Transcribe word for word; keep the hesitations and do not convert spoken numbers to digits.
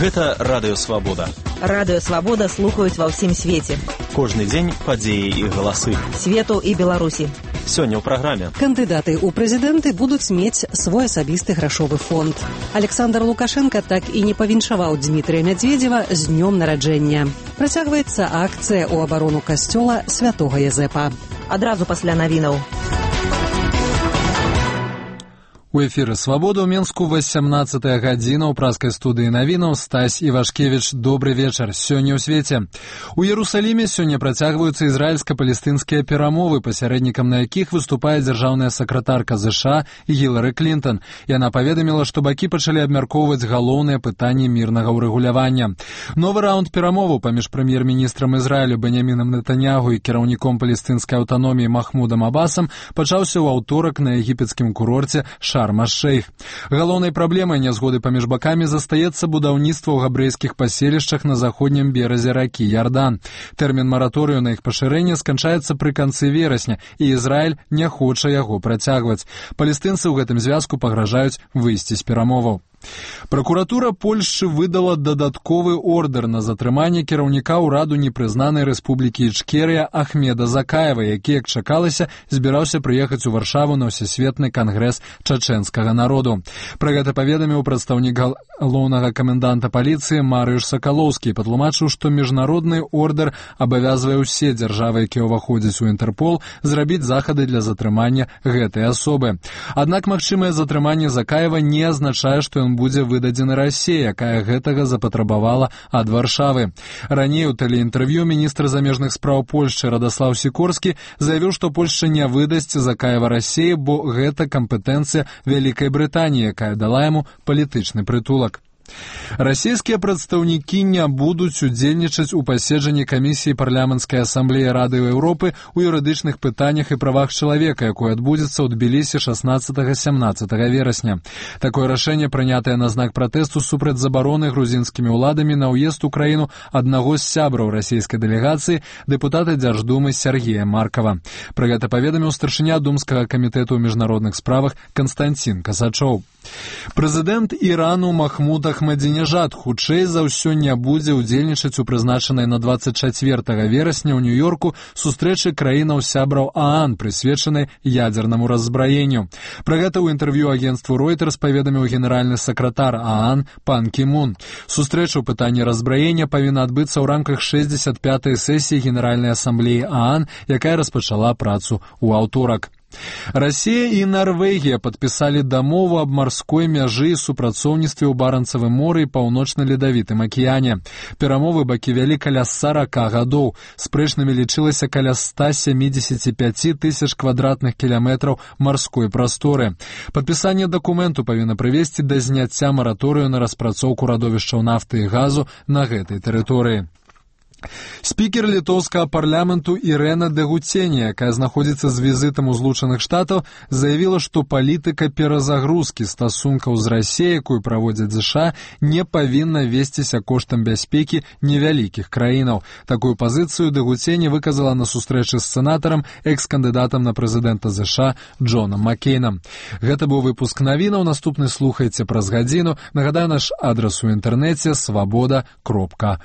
Гэта Радыё Свабода. Радыё Свабода слухаюць ва ўсім свеце. Кожны дзень падзеі і галасы. Свету і Беларусі. Сёння ў праграме. Кандыдаты ў прэзідэнты будуць мець свой асабісты грашовы фонд. Александр Лукашенко так і не павіншаваў Дмітрия Медведева з днём нараджэння. Працягваецца акцыя ў абарону касцёла святога Язэпа. Адразу пасля навінаў. У эфіры «Свабода» ў Менску васямнаццатая гадзіна ў праскай студыі навінаў Стась Івашкевіч. Добры вечар. Сёння ў свеце. У Иерусаліме сёння працягваюцца ізраільска-палестынскія перамовы, пасярэднікам на якіх выступае дзяржаўная сакратарка ЗША Гілары Клінтон. Яна паведаміла, што бакі пачалі абмяркоўваць галоўныя пытанні мірнага ўрэгулявання. Новы раунд перамоваў паміж прэм'ер-міністрам Ізраілю Беньямінам Нетаньяху і кіраўніком палестынскай аўтаноміі Махмудам Абасам пачаўся ў аўторак на егіпецкім курорце Шарм-аш-Шейх. Галоўнай праблемай нязгоды паміж бакамі застаецца будаўніцтва ў габрэйскіх паселішчах на заходнім беразе ракі Ярдан. Тэрмін мараторыю на іх пашырэнне сканчаецца пры канцы верасня, і Ізраіль не хоча яго працягваць. Палестынцы ў гэтым звязку пагражаюць выйсці з перамоваў. Пракуратура Польшчы выдала дадатковы ордэр на затрыманне кіраўніка ўраду непрызнанай рэспублікі Ічкерыя Ахмеда Закаева, які, як чакалася, збіраўся прыехаць у Варшаву на ўсесветны кангрэс чачэнскага народу. Пра гэта паведаміў прадстаўнік галоўнага каменданта паліцыі Марыюш Сакалоўскі і патлумачыў, што міжнародны ордэр абавязвае ўсе дзяржавы, якія ўваходзяць у Інтэрпол, зрабіць захады для затрымання гэтай асобы. Аднак магчымае затрыманне Закаева не азначае, што ён будзе выдадзены Расіі, якая гэтага запатрабавала ад Варшавы. Раней у тэлеінтэрв'ю міністр замежных спраў Польшчы Радаслаў Сікорскі заявіў, што Польшча не выдасць Закаева Расіі, бо гэта кампетэнцыя Вялікай Брытаніі, якая дала яму палітычны прытулак. Расійскія прадстаўнікі не будуць удзельнічаць у паседжанні камісіі парламенцкай асамблеі Рады Еўропы ў юрыдычных пытаннях і правах чалавека, якое адбудзецца ў Тбілісі шаснаццатага-сямнаццатага верасня. Такое рашэнне прынятае на знак пратэсту супраць забароны грузінскімі ўладамі на ўезд у краіну аднаго з сябраў расійскай дэлегацыі, дэпутата Дзярждумы Сергея Маркава. Пра гэта паведаміў старшыня Думскага камітэту ў міжнародных справах Канстанцін Касачоў. Прэзідэнт Ірану Махмуд Ахмадзінежад хутчэй за ўсё не будзе ўдзельнічаць у прызначанай на дваццаць чацвёртага верасня ў Нью-Йорку сустрэчы краінаў сябраў ААН, прысвечанай ядзернаму раззбраенню. Пра гэта ў інтэрв'ю агенцтву Reuters паведаміў генеральны сакратар ААН Пан Кі Мун. Сустрэча ў пытанні раззбраення павінна адбыцца ў рамках шэсцьдзесят пятай сесіі Генеральнай асамблеі ААН, якая распачала працу ў аўторак. Расія і Нарвегія падпісалі дамову аб марской мяжы і супрацоўніцтве ў Баранцавым моры і паўночна-ледавітым акіяне. Перамовы бакі вялі каля сарака гадоў. Спрэчнымі лічылася каля ста сямідзесят пяць тысяч квадратных кіламетраў марской прасторы. Падпісанне дакументу павінна прывесці да зняцця мараторыю на распрацоўку радовішчаў нафты і газу на гэтай тэрыторыі. Спікер літоўскага парламенту Ірэна Дэгуценія, якая знаходзіцца з візітам у Злучаных Штатаў, заявіла, што палітыка перазагрузкі стасункаў з Расіяй, якую праводзяць ЗША, не павінна весціся коштам бяспекі невялікіх краінаў. Такую пазіцыю Дэгуценія выказала на сустрэчы з сенатарам, экс-кандыдатам на прэзідэнта ЗША Джонам Маккейнам. Гэта быў выпуск навінаў, наступны слухайце праз гадзіну. Нагадаю, наш адрас у інтэрнэце свабода кропка